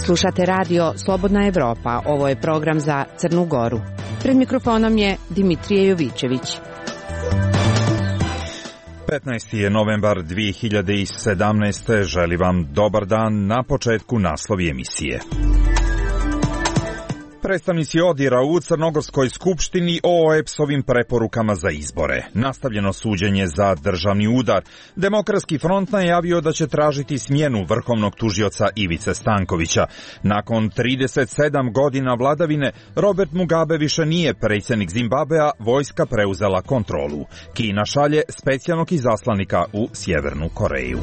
Slušate radio Slobodna Evropa. Ovo je program za Crnu Goru. Pred mikrofonom je Dimitrije Jovićević. 15. je novembar 2017. Želim vam dobar dan. Na početku naslovi emisije. Predstavnici ODIHR-a u Crnogorskoj skupštini o OEBS-ovim preporukama za izbore. Nastavljeno suđenje za državni udar. Demokratski front najavio da će tražiti smjenu vrhovnog tužioca Ivice Stankovića. Nakon 37 godina vladavine, Robert Mugabe više nije predsjednik Zimbabvea, vojska preuzela kontrolu. Kina šalje specijalnog izaslanika u Sjevernu Koreju.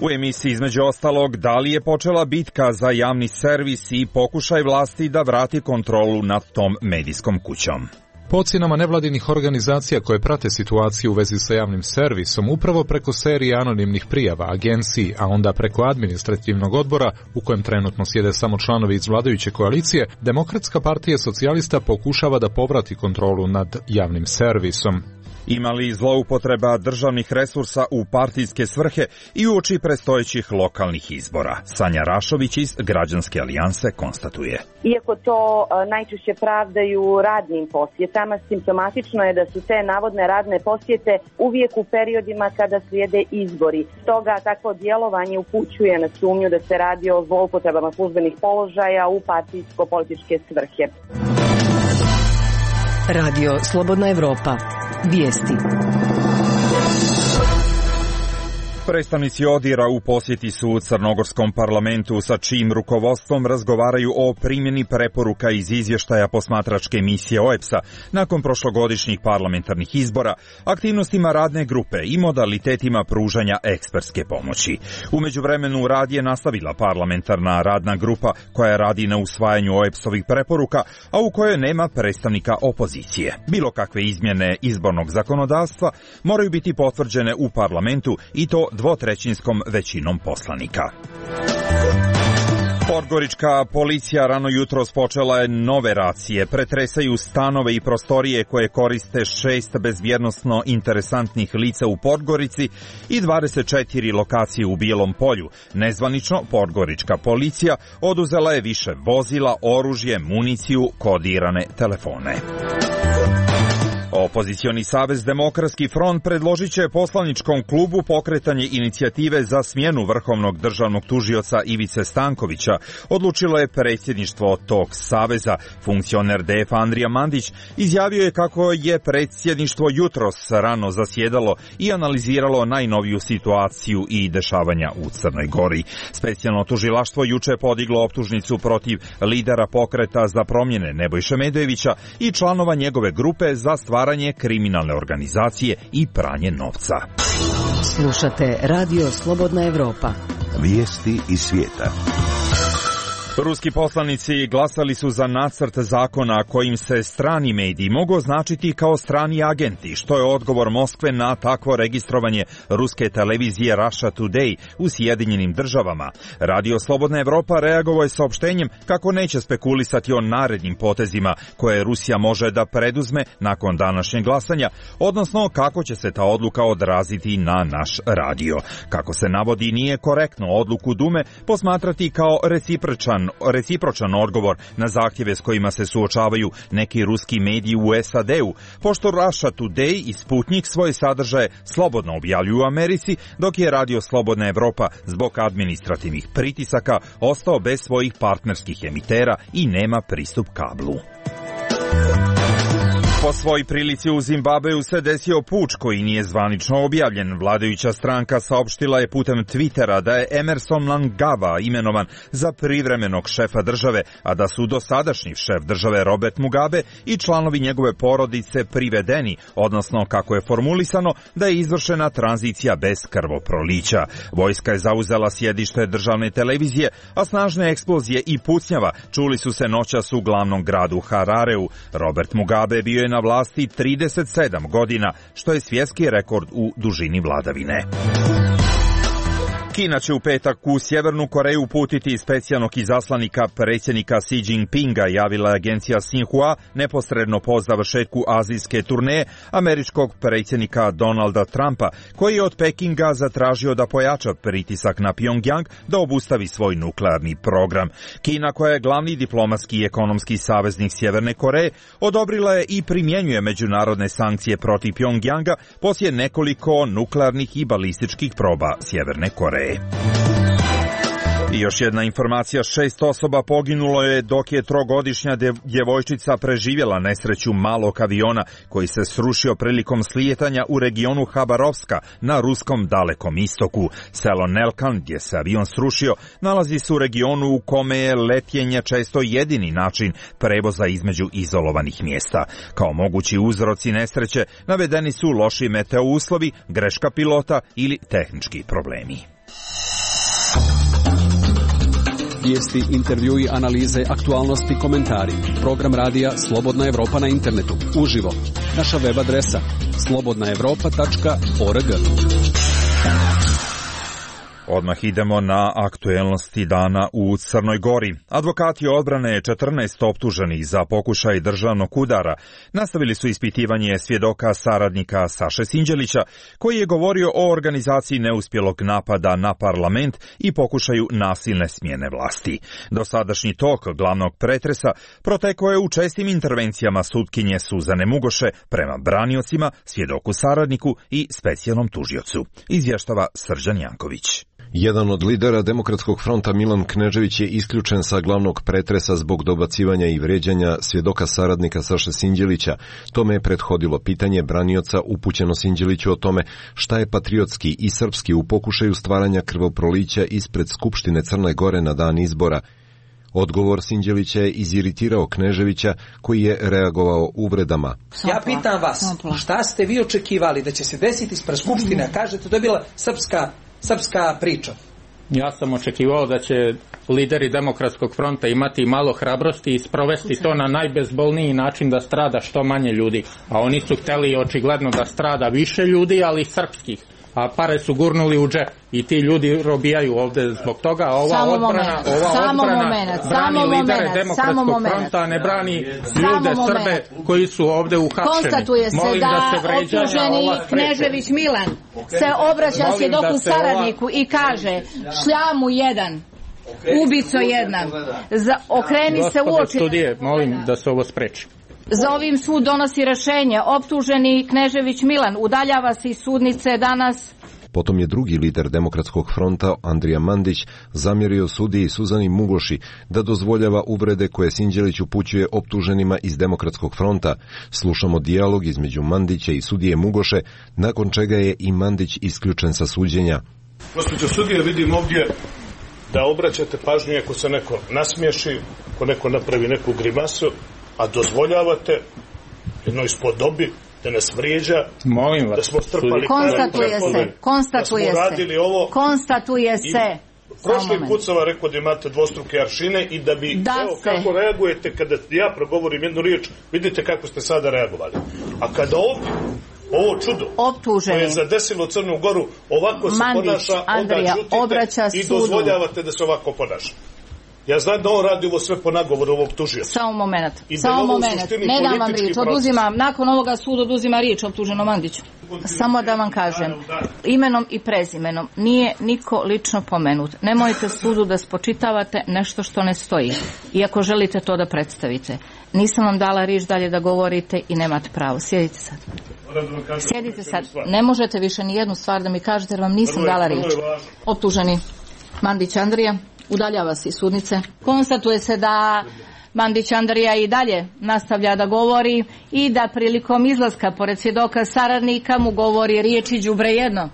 U emisiji između ostalog, da li je počela bitka za javni servis i pokušaj vlasti da vrati kontrolu nad tom medijskom kućom. Po ocjenama nevladinih organizacija koje prate situaciju u vezi sa javnim servisom, upravo preko serije anonimnih prijava agenciji, a onda preko administrativnog odbora, u kojem trenutno sjede samo članovi iz vladajuće koalicije, Demokratska partija socijalista pokušava da povrati kontrolu nad javnim servisom. Ima li zloupotreba državnih resursa u partijske svrhe i uoči predstojećih lokalnih izbora? Sanja Rašović iz Građanske alijanse konstatuje. Iako to najčešće pravdaju radnim posjetama, simptomatično je da su te navodne radne posjete uvijek u periodima kada slijede izbori. Stoga takvo djelovanje upućuje na sumnju da se radi o zloupotrebama službenih položaja u partijsko-političke svrhe. Radio Slobodna Evropa. Vijesti. Predstavnici ODIHR-a u posjeti su u crnogorskom parlamentu, sa čijim rukovodstvom razgovaraju o primjeni preporuka iz izvještaja posmatračke misije OEBS-a nakon prošlogodišnjih parlamentarnih izbora, aktivnostima radne grupe i modalitetima pružanja ekspertske pomoći. U međuvremenu rad je nastavila parlamentarna radna grupa koja radi na usvajanju OEBS-ovih preporuka, a u kojoj nema predstavnika opozicije. Bilo kakve izmjene izbornog zakonodavstva moraju biti potvrđene u parlamentu i to dvotrećinskom većinom poslanika. Podgorička policija rano jutros počela je nove racije. Pretresaju stanove i prostorije koje koriste 6 bezbjednosno interesantnih lica u Podgorici i 24 lokacije u Bijelom Polju. Nezvanično, podgorička policija oduzela je više vozila, oružje, municiju, kodirane telefone. Opozicioni savez Demokratski front predložit će poslaničkom klubu pokretanje inicijative za smjenu vrhovnog državnog tužioca Ivice Stankovića, odlučilo je predsjedništvo tog saveza. Funkcioner DF Andrija Mandić izjavio je kako je predsjedništvo jutros rano zasjedalo i analiziralo najnoviju situaciju i dešavanja u Crnoj Gori. Specijalno tužilaštvo juče podiglo optužnicu protiv lidera pokreta za promjene Nebojše Medojevića i članova njegove grupe za stvaranje kriminalne organizacije i pranje novca. Slušate Radio Slobodna Evropa. Vijesti iz svijeta. Ruski poslanici glasali su za nacrt zakona kojim se strani mediji mogu označiti kao strani agenti, što je odgovor Moskve na takvo registrovanje ruske televizije Russia Today u Sjedinjenim državama. Radio Slobodna Evropa reagovao je saopštenjem kako neće spekulisati o narednim potezima koje Rusija može da preduzme nakon današnjeg glasanja, odnosno kako će se ta odluka odraziti na naš radio. Kako se navodi, nije korektno odluku Dume posmatrati kao recipročan odgovor na zahtjeve s kojima se suočavaju neki ruski mediji u SAD-u, pošto Russia Today i Sputnik svoje sadržaje slobodno objavljuju u Americi, dok je Radio Slobodna Evropa zbog administrativnih pritisaka ostao bez svojih partnerskih emitera i nema pristup kablu. Po svoj prilici u Zimbabveu se desio puč koji nije zvanično objavljen. Vladajuća stranka saopštila je putem Twittera da je Emerson Mnangagwa imenovan za privremenog šefa države, a da su dosadašnji šef države Robert Mugabe i članovi njegove porodice privedeni, odnosno kako je formulisano da je izvršena tranzicija bez krvoprolića. Vojska je zauzela sjedište državne televizije, a snažne eksplozije i pucnjava čuli su se noćas u glavnom gradu Harareu. Robert Mugabe bio je na vlasti 37 godina, što je svjetski rekord u dužini vladavine. Kina će u petak u Sjevernu Koreju uputiti specijalnog izaslanika predsjednika Xi Jinpinga, javila je agencija Xinhua neposredno po završetku azijske turneje američkog predsjednika Donalda Trumpa, koji je od Pekinga zatražio da pojača pritisak na Pjongjang da obustavi svoj nuklearni program. Kina, koja je glavni diplomatski i ekonomski saveznik Sjeverne Koreje, odobrila je i primjenjuje međunarodne sankcije protiv Pjongjanga poslije nekoliko nuklearnih i balističkih proba Sjeverne Koreje. I još jedna informacija, 6 osoba poginulo je dok je 3-godišnja djevojčica preživjela nesreću malog aviona koji se srušio prilikom slijetanja u regionu Habarovska na ruskom dalekom istoku. Selo Nelkan, gdje se avion srušio, nalazi se u regionu u kome je letjenje često jedini način prevoza između izolovanih mjesta. Kao mogući uzroci nesreće navedeni su loši meteo uslovi, greška pilota ili tehnički problemi. Vijesti, intervjui, analize, aktualnosti, komentari. Program radija Slobodna Evropa na internetu. Uživo. Naša web adresa slobodnaevropa.org. Odmah idemo na aktuelnosti dana u Crnoj Gori. Advokati odbrane 14 optuženih za pokušaj državnog udara nastavili su ispitivanje svjedoka saradnika Saše Sinđelića, koji je govorio o organizaciji neuspjelog napada na parlament i pokušaju nasilne smjene vlasti. Dosadašnji tok glavnog pretresa protekao je u čestim intervencijama sutkinje Suzane Mugoše prema braniocima, svjedoku saradniku i specijalnom tužiocu. Izvještava Srđan Janković. Jedan od lidera Demokratskog fronta, Milan Knežević, je isključen sa glavnog pretresa zbog dobacivanja i vrijeđanja svjedoka saradnika Saše Sinđelića. Tome je prethodilo pitanje branioca upućeno Sinđeliću o tome šta je patriotski i srpski u pokušaju stvaranja krvoprolića ispred Skupštine Crne Gore na dan izbora. Odgovor Sinđelića je iziritirao Kneževića, koji je reagovao uvredama. Ja pitam vas, šta ste vi očekivali da će se desiti ispred Skupštine? Kažete, to je bila srpska priča. Ja sam očekivao da će lideri Demokratskog fronta imati malo hrabrosti i sprovesti to na najbezbolniji način, da strada što manje ljudi. A oni su htjeli očigledno da strada više ljudi, ali srpskih. A pare su gurnuli u džep i ti ljudi robijaju ovdje zbog toga. A ova odbrana brani lidere Demokratskog fronta, a ne brani ljude Srbe koji su ovdje uhapšeni. Konstatuje se da optuženi Knežević Milan se obraća svjedoku saradniku i kaže: šljamu jedan, ubico jedan, okreni se u oči. Studije, molim da se ovo spreči. Za ovim sud donosi rješenje. Optuženi Knežević Milan udaljava se iz sudnice danas. Potom je drugi lider Demokratskog fronta, Andrija Mandić, zamjerio sudiji Suzani Mugoši da dozvoljava uvrede koje Sinđelić upućuje optuženima iz Demokratskog fronta. Slušamo dijalog između Mandića i sudije Mugoše, nakon čega je i Mandić isključen sa suđenja. Gospođo sudije, vidim ovdje da obraćate pažnju ako se neko nasmiješi, ako neko napravi neku grimasu, a dozvoljavate jednoj spodobi da nas vrijeđa, molim vas, da smo strpali konstatuje se. Prošli put sam vam rekao da imate dvostruke aršine i da bi, kako reagujete kada ja progovorim jednu riječ, vidite kako ste sada reagovali. A kada ovdje ovo čudo koje je zadesilo Crnu Goru ovako se ponaša, onda čutite i dozvoljavate da se ovako ponaša. Ja znam da on radi ovo sve po nagovoru ovog tužioca. Samo moment. Ne dam vam riječ. Oduzimam, nakon ovoga sud oduzima riječ optuženom Mandiću. Samo da vam kažem, imenom i prezimenom nije niko lično pomenut. Nemojte sudu da spočitavate nešto što ne stoji. Iako želite to da predstavite. Nisam vam dala riječ dalje da govorite i nemate pravo. Sjedite sad. Sjedite sad. Ne možete više ni jednu stvar da mi kažete jer vam nisam dala riječ. Optuženi Mandić Andrija udaljava se iz sudnice. Konstatuje se da Mandić Andrija i dalje nastavlja da govori i da prilikom izlaska pored svjedoka saradnika mu govori riječi đubre jedno.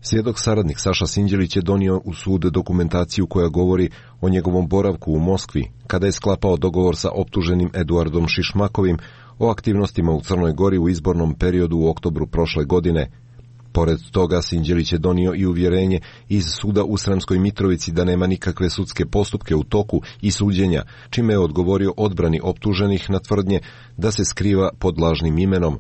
Svjedok saradnik Saša Sinđelić je donio u sud dokumentaciju koja govori o njegovom boravku u Moskvi, kada je sklapao dogovor sa optuženim Eduardom Šišmakovim o aktivnostima u Crnoj Gori u izbornom periodu u oktobru prošle godine. Pored toga, Sinđelić je donio i uvjerenje iz suda u Sremskoj Mitrovici da nema nikakve sudske postupke u toku i suđenja, čime je odgovorio odbrani optuženih na tvrdnje da se skriva pod lažnim imenom.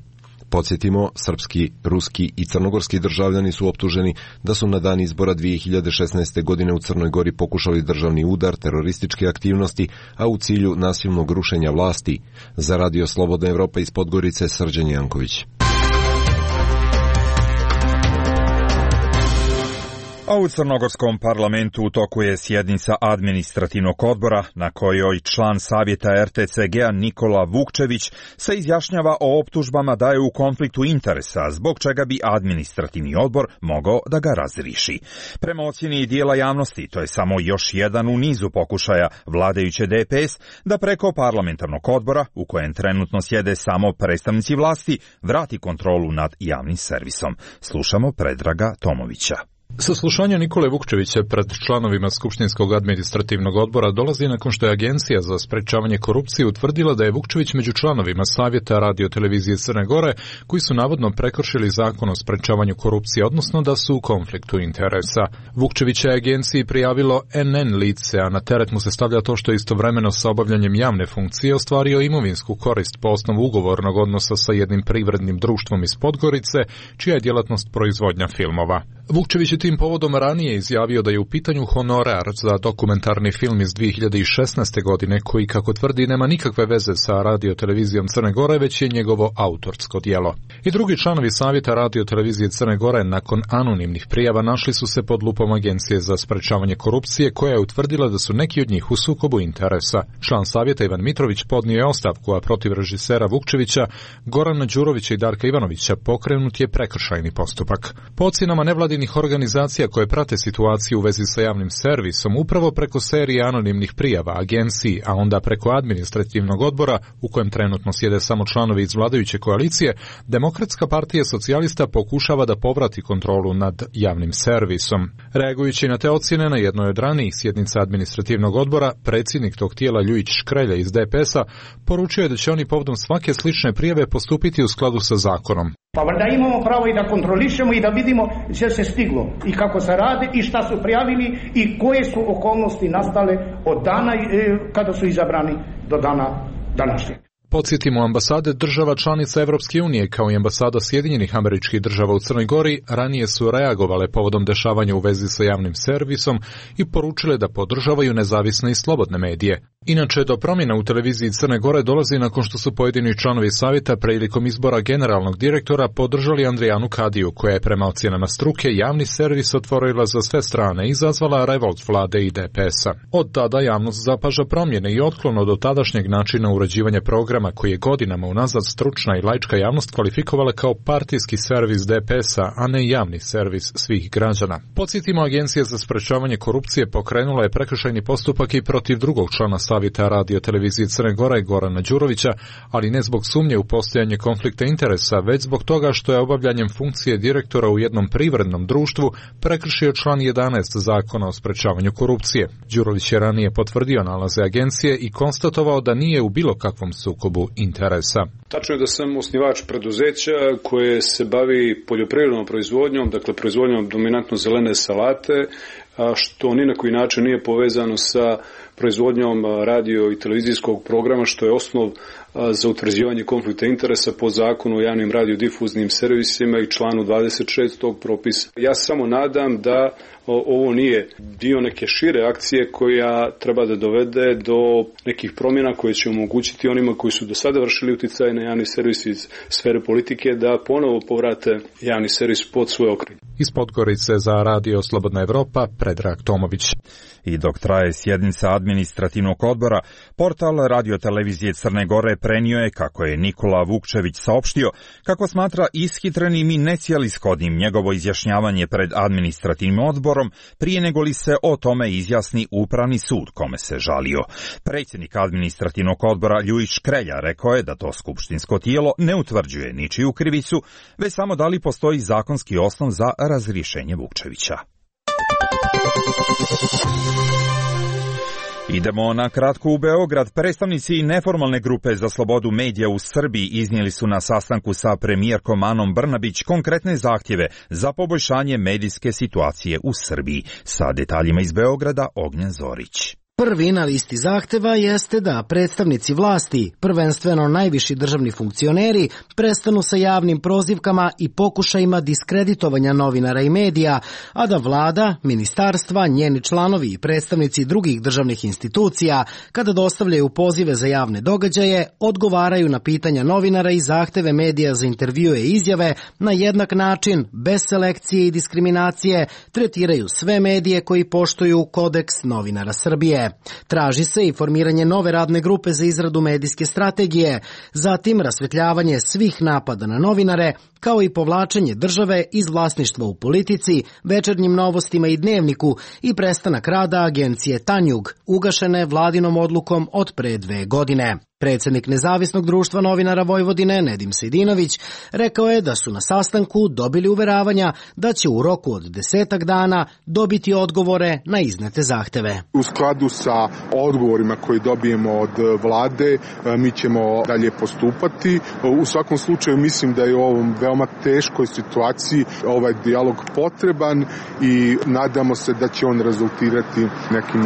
Podsjetimo, srpski, ruski i crnogorski državljani su optuženi da su na dan izbora 2016. godine u Crnoj Gori pokušali državni udar, terorističke aktivnosti, a u cilju nasilnog rušenja vlasti. Za Radio Slobodna Evropa iz Podgorice, Srđan Janković. A u crnogorskom parlamentu u toku je sjednica administrativnog odbora na kojoj član savjeta RTCG-a Nikola Vukčević se izjašnjava o optužbama da je u konfliktu interesa, zbog čega bi administrativni odbor mogao da ga razriši. Prema ocjeni dijela javnosti, to je samo još jedan u nizu pokušaja vladajuće DPS da preko parlamentarnog odbora, u kojem trenutno sjede samo predstavnici vlasti, vrati kontrolu nad javnim servisom. Slušamo Predraga Tomovića. Saslušanje Nikole Vukčevića pred članovima Skupštinskog administrativnog odbora dolazi nakon što je Agencija za sprečavanje korupcije utvrdila da je Vukčević među članovima Savjeta Radio-televizije Crne Gore koji su navodno prekršili zakon o sprečavanju korupcije, odnosno da su u konfliktu interesa. Vukčevića je Agenciji prijavilo NN lice, a na teret mu se stavlja to što je istovremeno sa obavljanjem javne funkcije ostvario imovinsku korist po osnovu ugovornog odnosa sa jednim privrednim društvom iz Podgorice, čija je djelatnost proizvodnja filmova. Vukčević je tim povodom ranije izjavio da je u pitanju honorar za dokumentarni film iz 2016. godine koji, kako tvrdi, nema nikakve veze sa Radio-televizijom Crne Gore, već je njegovo autorsko djelo. I drugi članovi Savjeta Radio-televizije Crne Gore nakon anonimnih prijava našli su se pod lupom Agencije za sprečavanje korupcije, koja je utvrdila da su neki od njih u sukobu interesa. Član Savjeta Ivan Mitrović podnio je ostavku, a protiv režisera Vukčevića, Gorana Đurovića i Darka Ivanovića pokrenut je prekršajni postupak. Po ocjenama nevladinih organizacija koje prate situaciju u vezi sa javnim servisom, upravo preko serije anonimnih prijava Agenciji, a onda preko administrativnog odbora, u kojem trenutno sjede samo članovi iz vladajuće koalicije, Demokratska partija socijalista pokušava da povrati kontrolu nad javnim servisom. Reagujući na te ocjene, na jednoj od ranijih sjednica administrativnog odbora, predsjednik tog tijela Ljujić Škrelja iz DPS-a poručio je da će oni povodom svake slične prijave postupiti u skladu sa zakonom. Pa valjda imamo pravo i da kontrolišemo i da vidimo gdje se stiglo i kako se radi i šta su prijavili i koje su okolnosti nastale od dana kada su izabrani do dana današnjeg. Podsjetimo, ambasade država članica Evropske unije kao i ambasada Sjedinjenih Američkih Država u Crnoj Gori ranije su reagovale povodom dešavanja u vezi sa javnim servisom i poručile da podržavaju nezavisne i slobodne medije. Inače, do promjena u televiziji Crne Gore dolazi nakon što su pojedini članovi savjeta prilikom izbora generalnog direktora podržali Andrijanu Kadiju, koja je prema ocjenama struke javni servis otvorila za sve strane i izazvala revolt vlade i DPS-a. Od tada javnost zapaža promjene i otklon od tadašnjeg načina uređivanja programa koji je godinama unazad stručna i laička javnost kvalifikovala kao partijski servis DPS-a, a ne javni servis svih građana. Podsjetimo, Agencija za sprečavanje korupcije pokrenula je prekršajni postupak i protiv drugog člana Savjeta Radio-televizije Crne Gore, Gorana Đurovića, ali ne zbog sumnje u postojanje konflikta interesa, već zbog toga što je obavljanjem funkcije direktora u jednom privrednom društvu prekršio član 11 Zakona o sprečavanju korupcije. Đurović je ranije potvrdio nalaze agencije i konstatovao da nije u bilo kakvom sukobu interesa. Tačno je da sam osnivač preduzeća koje se bavi poljoprivrednom proizvodnjom, dakle proizvodnjom dominantno zelene salate, što ni na koji način nije povezano sa proizvodnjom radio i televizijskog programa, što je osnov za utvrđivanje konflikta interesa po zakonu o javnim radiodifuznim servisima i članu 26 tog propisa. Ja samo nadam da ovo nije dio neke šire akcije koja treba da dovede do nekih promjena koje će omogućiti onima koji su do sada vršili uticaj na javni servis iz sfere politike da ponovo povrate javni servis pod svoj okrilje. Iz Podgorice za Radio Slobodna Evropa, Predrag Tomović. I dok traje sjednica administrativnog odbora, portal Radio-televizije Crne Gore prenio je kako je Nikola Vukčević saopštio kako smatra ishitrenim i necijelishodnim njegovo izjašnjavanje pred administrativnim odborom prije nego li se o tome izjasni Upravni sud kome se žalio. Predsjednik administrativnog odbora Ljujić Škrelja rekao je da to skupštinsko tijelo ne utvrđuje ničiju krivicu, već samo da li postoji zakonski osnov za razrješenje Vukčevića. Idemo na kratko u Beograd. Predstavnici neformalne grupe za slobodu medija u Srbiji iznijeli su na sastanku sa premijerkom Anom Brnabić konkretne zahtjeve za poboljšanje medijske situacije u Srbiji. Sa detaljima iz Beograda, Ognjen Zorić. Prvi na listi zahteva jeste da predstavnici vlasti, prvenstveno najviši državni funkcioneri, prestanu sa javnim prozivkama i pokušajima diskreditovanja novinara i medija, a da vlada, ministarstva, njeni članovi i predstavnici drugih državnih institucija, kada dostavljaju pozive za javne događaje, odgovaraju na pitanja novinara i zahteve medija za intervjue i izjave na jednak način, bez selekcije i diskriminacije, tretiraju sve medije koji poštuju Kodeks novinara Srbije. Traži se i formiranje nove radne grupe za izradu medijske strategije, zatim rasvetljavanje svih napada na novinare, kao i povlačenje države iz vlasništva u Politici, Večernjim novostima i Dnevniku i prestanak rada agencije Tanjug, ugašene vladinom odlukom od pre 2 godine. Predsjednik Nezavisnog društva novinara Vojvodine, Nedim Sejdinović, rekao je da su na sastanku dobili uveravanja da će u roku od 10 dana dobiti odgovore na iznete zahteve. U skladu sa odgovorima koji dobijemo od vlade, mi ćemo dalje postupati. U svakom slučaju mislim da je u ovom veoma teškoj situaciji ovaj dijalog potreban i nadamo se da će on rezultirati nekim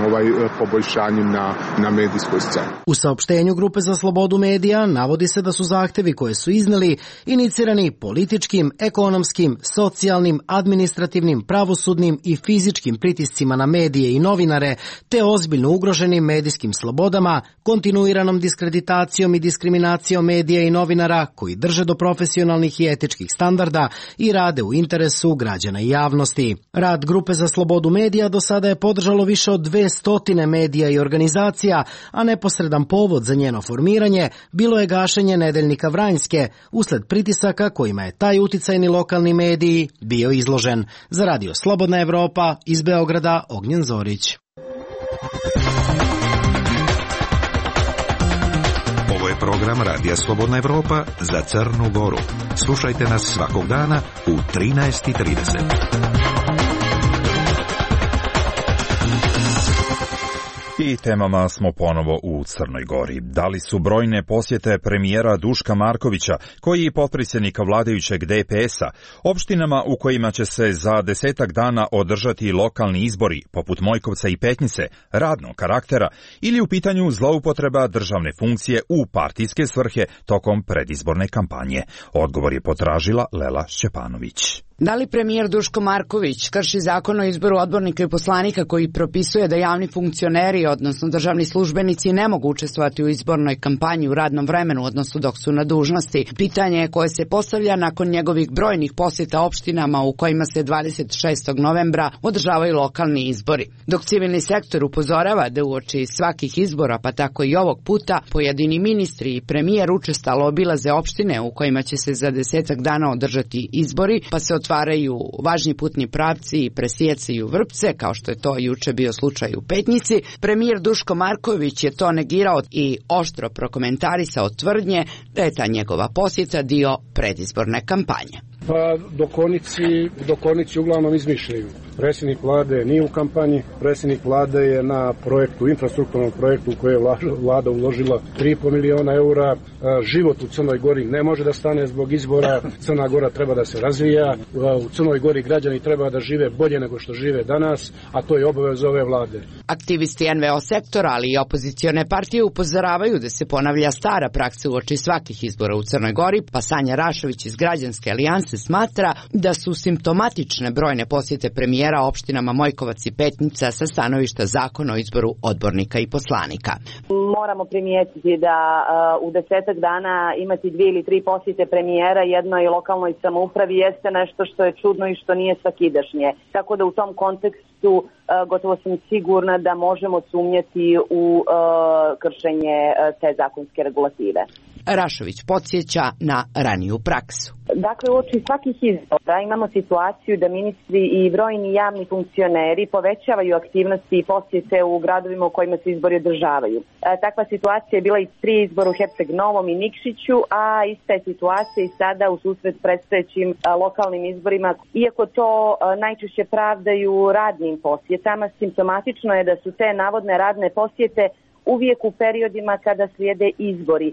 poboljšanjem na medijskoj sceni. U saopštenju Grupe za slobodu medija navodi se da su zahtevi koje su izneli inicirani političkim, ekonomskim, socijalnim, administrativnim, pravosudnim i fizičkim pritiscima na medije i novinare, te ozbiljno ugroženim medijskim slobodama, kontinuiranom diskreditacijom i diskriminacijom medija i novinara koji drže do profesionalnih i etičkih standarda i rade u interesu građana i javnosti. Rad Grupe za slobodu medija do sada je podržalo više od 200 medija i organizacija, a neposredan povod za njeno formiranje bilo je gašenje nedeljnika Vranjske usled pritisaka kojima je taj uticajni lokalni mediji bio izložen. Za Radio Slobodna Evropa iz Beograda, Ognjen Zorić. Ovo je program Radija Slobodna Evropa za Crnu Goru. Slušajte nas svakog dana u 13:30. I temama smo ponovo u Crnoj Gori. Da li su brojne posjete premijera Duška Markovića, koji je potpredsjednika vladajućeg DPS-a, opštinama u kojima će se za 10 dana održati lokalni izbori, poput Mojkovca i Petnice, radnog karaktera, ili u pitanju zloupotreba državne funkcije u partijske svrhe tokom predizborne kampanje? Odgovor je potražila Lela Šćepanović. Da li premijer Duško Marković krši zakon o izboru odbornika i poslanika koji propisuje da javni funkcioneri, odnosno državni službenici, ne mogu učestvovati u izbornoj kampanji u radnom vremenu, odnosno dok su na dužnosti? Pitanje je koje se postavlja nakon njegovih brojnih posjeta opštinama u kojima se 26. novembra održavaju lokalni izbori. Dok civilni sektor upozorava da uoči svakih izbora, pa tako i ovog puta, pojedini ministri i premijer učestalo obilaze opštine u kojima će se za 10 dana održati izbori, pa se otvaraju važni putni pravci i presijecaju vrpce, kao što je to juče bio slučaj u Petnici. Premijer Duško Marković je to negirao i oštro prokomentarisao tvrdnje da je ta njegova posjeta dio predizborne kampanje. Pa dokonici uglavnom izmišljaju. Predsjednik vlade nije u kampanji, predsjednik vlade je na projektu, infrastrukturnom projektu u koje je vlada uložila 3,5 miliona eura. Život u Crnoj Gori ne može da stane zbog izbora. Crna Gora treba da se razvija. U Crnoj Gori građani treba da žive bolje nego što žive danas, a to je obaveza ove vlade. Aktivisti NVO sektora, ali i opozicione partije upozoravaju da se ponavlja stara praksa uoči svakih izbora u Crnoj Gori, pa Sanja Rašović iz Građanske alijanse smatra da su simptomatične brojne posjete premijera opštinama Mojkovac i Petnica sa stanovišta zakona o izboru odbornika i poslanika. Moramo primijetiti da u 10 dana imati 2 ili 3 posjete premijera jednoj lokalnoj samoupravi jeste nešto što je čudno i što nije svakidašnje. Tako da u tom kontekstu gotovo sam sigurna da možemo sumnjati u kršenje te zakonske regulative. Rašović podsjeća na raniju praksu. Dakle, uoči svakih izbora imamo situaciju da ministri i brojni javni funkcioneri povećavaju aktivnosti i posjete u gradovima u kojima se izbori održavaju. Takva situacija je bila i pri izboru Herceg Novom i Nikšiću, a ista je situacija i sada u susret predstojećim lokalnim izborima. Iako to najčešće pravdaju radnim posjetama, simptomatično je da su te navodne radne posjete uvijek u periodima kada slijede izbori.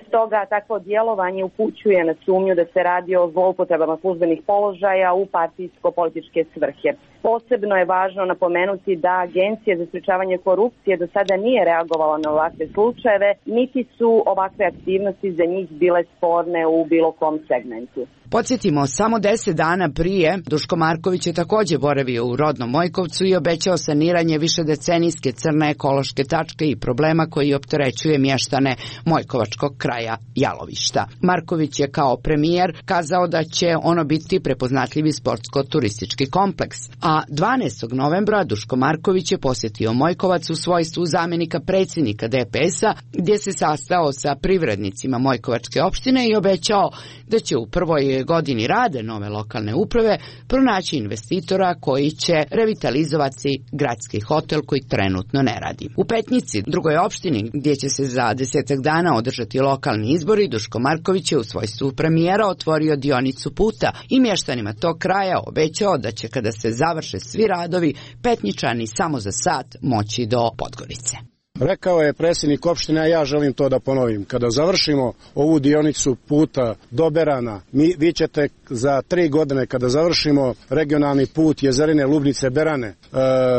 Stoga takvo djelovanje upućuje na sumnju da se radi o zloupotrebama službenih položaja u partijsko-političke svrhe. Posebno je važno napomenuti da Agencija za sprečavanje korupcije do sada nije reagovala na ovakve slučajeve, niti su ovakve aktivnosti za njih bile sporne u bilo kom segmentu. Podsjetimo, samo 10 dana prije Duško Marković je također boravio u rodnom Mojkovcu i obećao saniranje višedecenijske crne ekološke tačke i problema koji opterećuje mještane Mojkovačkog kraja Jalovišta. Marković je kao premijer kazao da će ono biti prepoznatljivi sportsko-turistički kompleks, a 12. novembra Duško Marković je posjetio Mojkovac u svojstvu zamjenika predsjednika DPS-a, gdje se sastao sa privrednicima Mojkovačke opštine i obećao da će u prvoj godini rade nove lokalne uprave pronaći investitora koji će revitalizovati gradski hotel koji trenutno ne radi. U Petnici, drugoj opštini, gdje će se za 10 dana održati lokalni izbori, Duško Marković je u svojstvu premijera otvorio dionicu puta i mještanima tog kraja obećao da će kada se završe svi radovi, Petničani samo za sat moći do Podgorice. Rekao je predsjednik opštine, a ja želim to da ponovim. Kada završimo ovu dionicu puta do Berana, vi ćete za 3 godine, kada završimo regionalni put Jezerine, Lubnice, Berane,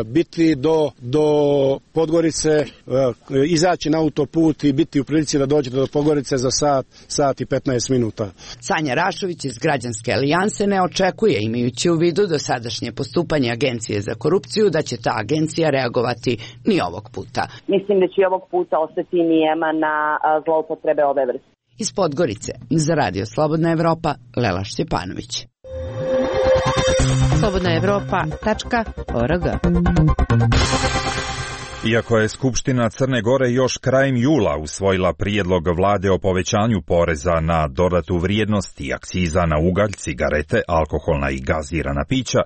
biti do Podgorice, izaći na autoput i biti u prilici da dođete do Podgorice za sat i 15 minuta. Sanja Rašović iz Građanske alijanse ne očekuje, imajući u vidu dosadašnje postupanje Agencije za korupciju, da će ta agencija reagovati ni ovog puta. Mislim da će ovog puta ostati nijema na zloupotrebe ove vrste. Iz Podgorice, za Radio Slobodna Evropa, Lela Šćepanović. slobodnaevropa.org. Iako je Skupština Crne Gore još krajem jula usvojila prijedlog vlade o povećanju poreza na dodatu vrijednost i akciza na ugalj, cigarete, alkoholna i gazirana pića,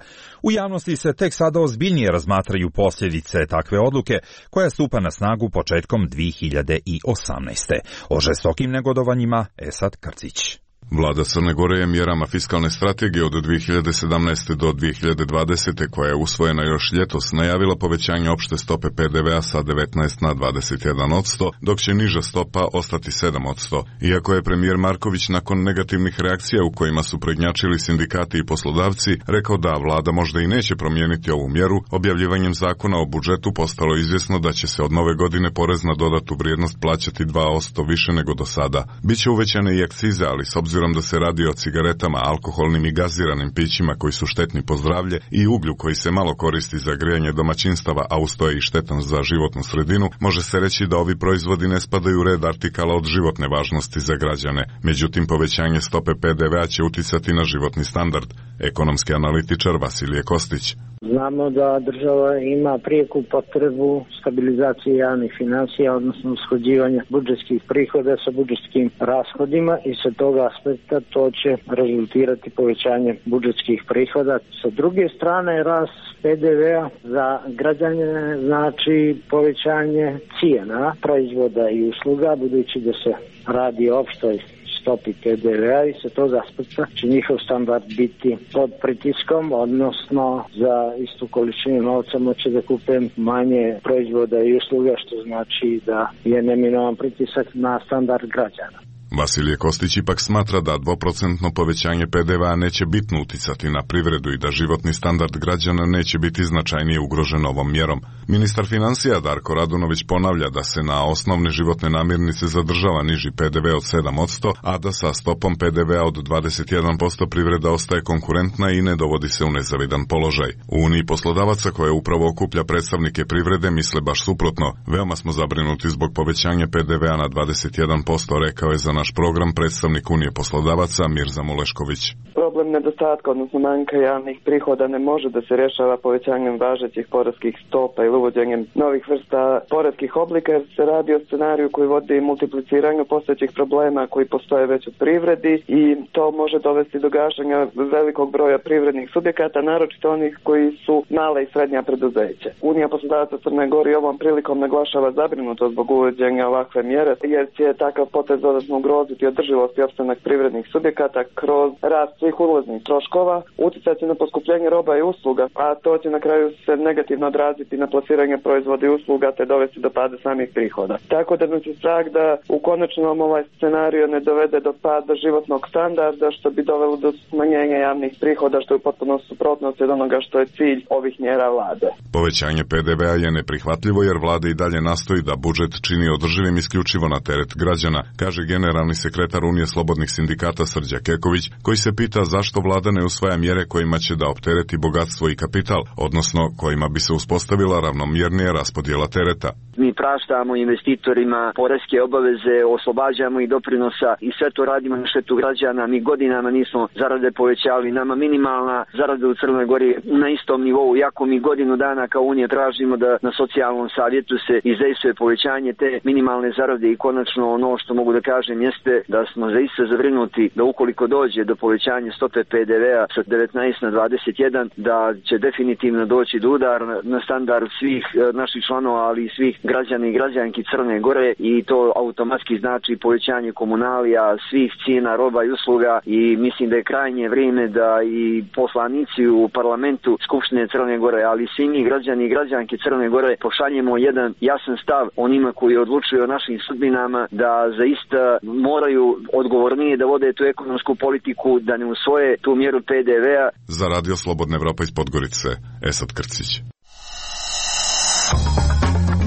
u javnosti se tek sada ozbiljnije razmatraju posljedice takve odluke koja stupa na snagu početkom 2018. O žestokim negodovanjima Esad Krcić. Vlada Crne Gore je mjerama fiskalne strategije od 2017. do 2020. koja je usvojena još ljetos najavila povećanje opšte stope PDV-a sa 19 na 21%, dok će niža stopa ostati 7%. Iako je premijer Marković nakon negativnih reakcija u kojima su prednjačili sindikati i poslodavci rekao da vlada možda i neće promijeniti ovu mjeru, objavljivanjem zakona o budžetu postalo izvjesno da će se od nove godine porez na dodatu vrijednost plaćati 2% više nego do sada. Biće uvećane i akcize, ali s obzirom da se radi o cigaretama, alkoholnim i gaziranim pićima koji su štetni po zdravlje i uglju koji se malo koristi za grijanje domaćinstava, a uz to je i štetan za životnu sredinu, može se reći da ovi proizvodi ne spadaju u red artikala od životne važnosti za građane. Međutim, povećanje stope PDV-a će uticati na životni standard. Ekonomski analitičar Vasilije Kostić. Znamo da država ima prijeku potrebu stabilizacije javnih financija, odnosno usklađivanja budžetskih prihoda sa budžetskim rashodima i sa toga aspekta to će rezultirati povećanje budžetskih prihoda. Sa druge strane, rast PDV-a za građane znači povećanje cijena proizvoda i usluga, budući da se radi o opštoj stopi PDV-a i sa toga aspekta će njihov standard biti pod pritiskom, odnosno za istu količinu novca moće da kupe manje proizvoda i usluga, što znači da je neminovan pritisak na standard građana. Vasilije Kostić ipak smatra da 2% povećanje PDV-a neće bitno uticati na privredu i da životni standard građana neće biti značajnije ugrožen ovom mjerom. Ministar financija Darko Radunović ponavlja da se na osnovne životne namirnice zadržava niži PDV od 7%, a da sa stopom PDV-a od 21% privreda ostaje konkurentna i ne dovodi se u nezavidan položaj. U Uniji poslodavaca koja upravo okuplja predstavnike privrede misle baš suprotno. Veoma smo zabrinuti zbog povećanja PDV-a na 21%, rekao je za naš program predstavnik Unije poslodavaca Mirza Mulešković. Problem nedostatka, odnosno manjka javnih prihoda ne može da se rješava povećanjem važećih poreskih stopa ili uvođenjem novih vrsta poreskih oblika, jer se radi o scenariju koji vodi multipliciranju postojećih problema koji postoje već u privredi i to može dovesti do gašenja velikog broja privrednih subjekata, naročito onih koji su male i srednja preduzeća. Unija poslodavaca Crne Gore ovom prilikom naglašava zabrinutost zbog uvođenja ovakve mjere, jer će takav potez dodatno ugroziti održivost i opstanak privrednih subjekata kroz rast svih uvoznih troškova, uticati na poskupljenje roba i usluga, a to će na kraju se negativno odraziti na plasiranje proizvoda i usluga te dovesti do pada samih prihoda. Tako da mi se strah da u konačnom ovaj scenario ne dovede do pada životnog standarda, što bi dovelo do smanjenja javnih prihoda, što je u potpuno suprotnosti od onoga što je cilj ovih mjera vlade. Povećanje PDV-a je neprihvatljivo jer vlada i dalje nastoji da budžet čini održivim isključivo na teret građana, kaže generalni sekretar Unije slobodnih sindikata Srđa Keković, koji se pita zašto vlada ne usvaja mjere kojima će da optereti bogatstvo i kapital, odnosno kojima bi se uspostavila ravnomjernija raspodjela tereta. Mi praštamo investitorima poreske obaveze, oslobađamo ih doprinosa i sve to radimo na štetu građana. Mi godinama nismo zarade povećali, nama minimalna zarada u Crnoj Gori na istom nivou, iako mi godinu dana kao Unija tražimo da na socijalnom savjetu se izdejstvuje povećanje te minimalne zarade i konačno ono što mogu da kažem jeste da smo zaista zabrinuti da ukoliko dođe do povećanja stope PDV-a sa 19 na 21, da će definitivno doći do udara na standard svih naših članova, ali i svih građana i građanki Crne Gore i to automatski znači povećanje komunalija, svih cijena roba i usluga i mislim da je krajnje vrijeme da i poslanici u parlamentu Skupštine Crne Gore, ali svi mi građani i građanke Crne Gore pošaljemo jedan jasan stav onima koji odlučuju o našim sudbinama, da zaista moraju odgovornije da vode tu ekonomsku politiku, da ne usvoje tu mjeru PDV-a. Za Radio Slobodna Evropa iz Podgorice, Esad Krcić.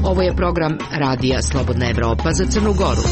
Ovo je program Radija Slobodna Evropa za Crnu Goru.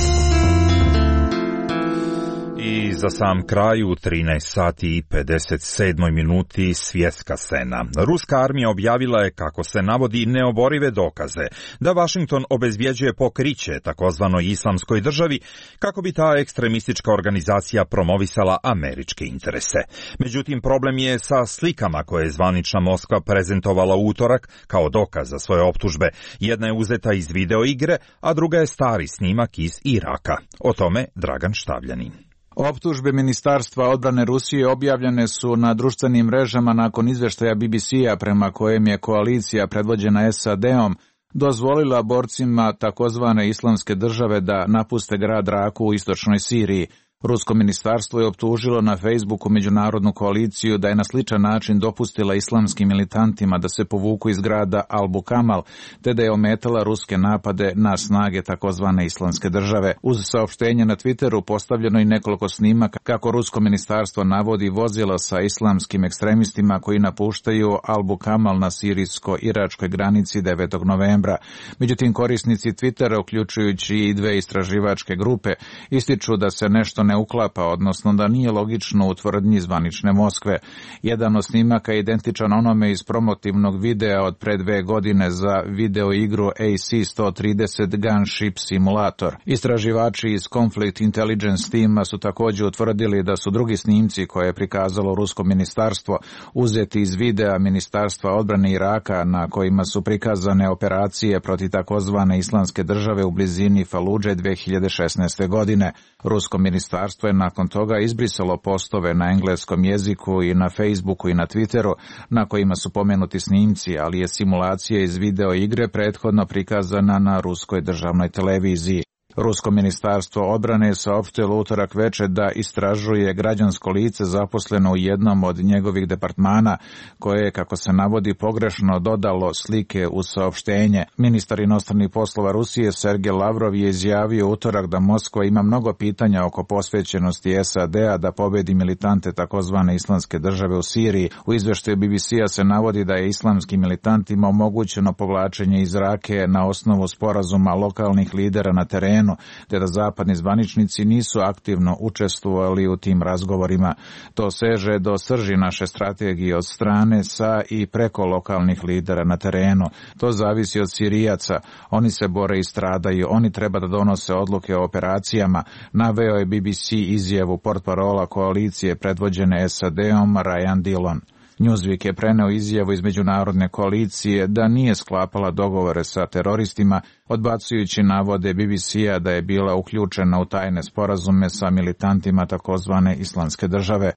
I za sam kraj u 13 sati i 57 minuti svjetska scena. Ruska armija objavila je, kako se navodi, neoborive dokaze da Vašington obezbjeđuje pokriće takozvanoj islamskoj državi kako bi ta ekstremistička organizacija promovisala američke interese. Međutim, problem je sa slikama koje je zvanična Moskva prezentovala u utorak kao dokaz za svoje optužbe. Jedna je uzeta iz video igre, a druga je stari snimak iz Iraka. O tome Dragan Štavljanin. Optužbe Ministarstva odbrane Rusije objavljene su na društvenim mrežama nakon izveštaja BBC-a prema kojem je koalicija predvođena SAD-om dozvolila borcima takozvane islamske države da napuste grad Raku u istočnoj Siriji. Rusko ministarstvo je optužilo na Facebooku međunarodnu koaliciju da je na sličan način dopustila islamskim militantima da se povuku iz grada Al-Bukamal, te da je ometala ruske napade na snage takozvane islamske države. Uz saopštenje na Twitteru postavljeno i nekoliko snimaka kako rusko ministarstvo navodi vozila sa islamskim ekstremistima koji napuštaju Al-Bukamal na sirijsko-iračkoj granici 9. novembra. Međutim, korisnici Twittera, uključujući i dve istraživačke grupe, ističu da se nešto ne uklapa, odnosno da nije logično u tvrdnji zvanične Moskve. Jedan od snimaka je identičan onome iz promotivnog videa od pre 2 godine za video igru AC-130 Gunship Simulator. Istraživači iz Conflict Intelligence tima su također utvrdili da su drugi snimci koje je prikazalo rusko ministarstvo uzeti iz videa Ministarstva odbrane Iraka na kojima su prikazane operacije protiv takozvane islamske države u blizini Faludže 2016. godine. Rusko ministarstvo je nakon toga izbrisalo postove na engleskom jeziku i na Facebooku i na Twitteru na kojima su pomenuti snimci, ali je simulacija iz video igre prethodno prikazana na ruskoj državnoj televiziji. Rusko ministarstvo odbrane saopštilo utorak večer da istražuje građansko lice zaposleno u jednom od njegovih departmana koje je, kako se navodi, pogrešno dodalo slike u saopštenje. Ministar inostranih poslova Rusije Sergej Lavrov je izjavio utorak da Moskva ima mnogo pitanja oko posvećenosti SAD-a da pobedi militante takozvane islamske države u Siriji. U izveštaju BBC-a se navodi da je islamskim militantima omogućeno povlačenje iz Rake na osnovu sporazuma lokalnih lidera na terenu, te da zapadni zvaničnici nisu aktivno učestvovali u tim razgovorima. To seže do srži naše strategije od strane sa i preko lokalnih lidera na terenu. To zavisi od Sirijaca. Oni se bore i stradaju. Oni treba da donose odluke o operacijama. Naveo je BBC izjavu portparola koalicije predvođene SAD-om Ryan Dillon. Newsweek je preneo izjavu iz međunarodne koalicije da nije sklapala dogovore sa teroristima, odbacujući navode BBC-a da je bila uključena u tajne sporazume sa militantima takozvane islamske države.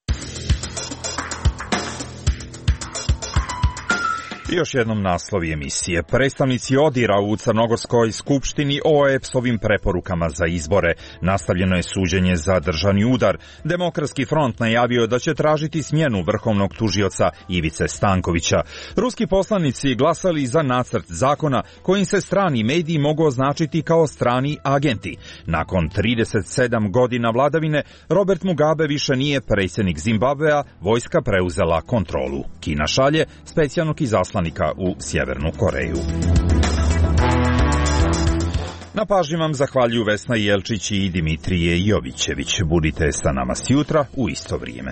Još jednom naslovi emisije. Predstavnici ODIR-a u Crnogorskoj skupštini o EPS-ovim preporukama za izbore. Nastavljeno je suđenje za državni udar. Demokratski front najavio da će tražiti smjenu vrhovnog tužioca Ivice Stankovića. Ruski poslanici glasali za nacrt zakona kojim se strani mediji mogu označiti kao strani agenti. Nakon 37 godina vladavine, Robert Mugabe više nije predsjednik Zimbabvea, vojska preuzela kontrolu. Kina šalje specijalnog izaslanika u Sjevernu Koreju. Na pažnji vam zahvaljuju Vesna Jelčić i Dimitrije Jovićević. Budite sa nama sjutra u isto vrijeme.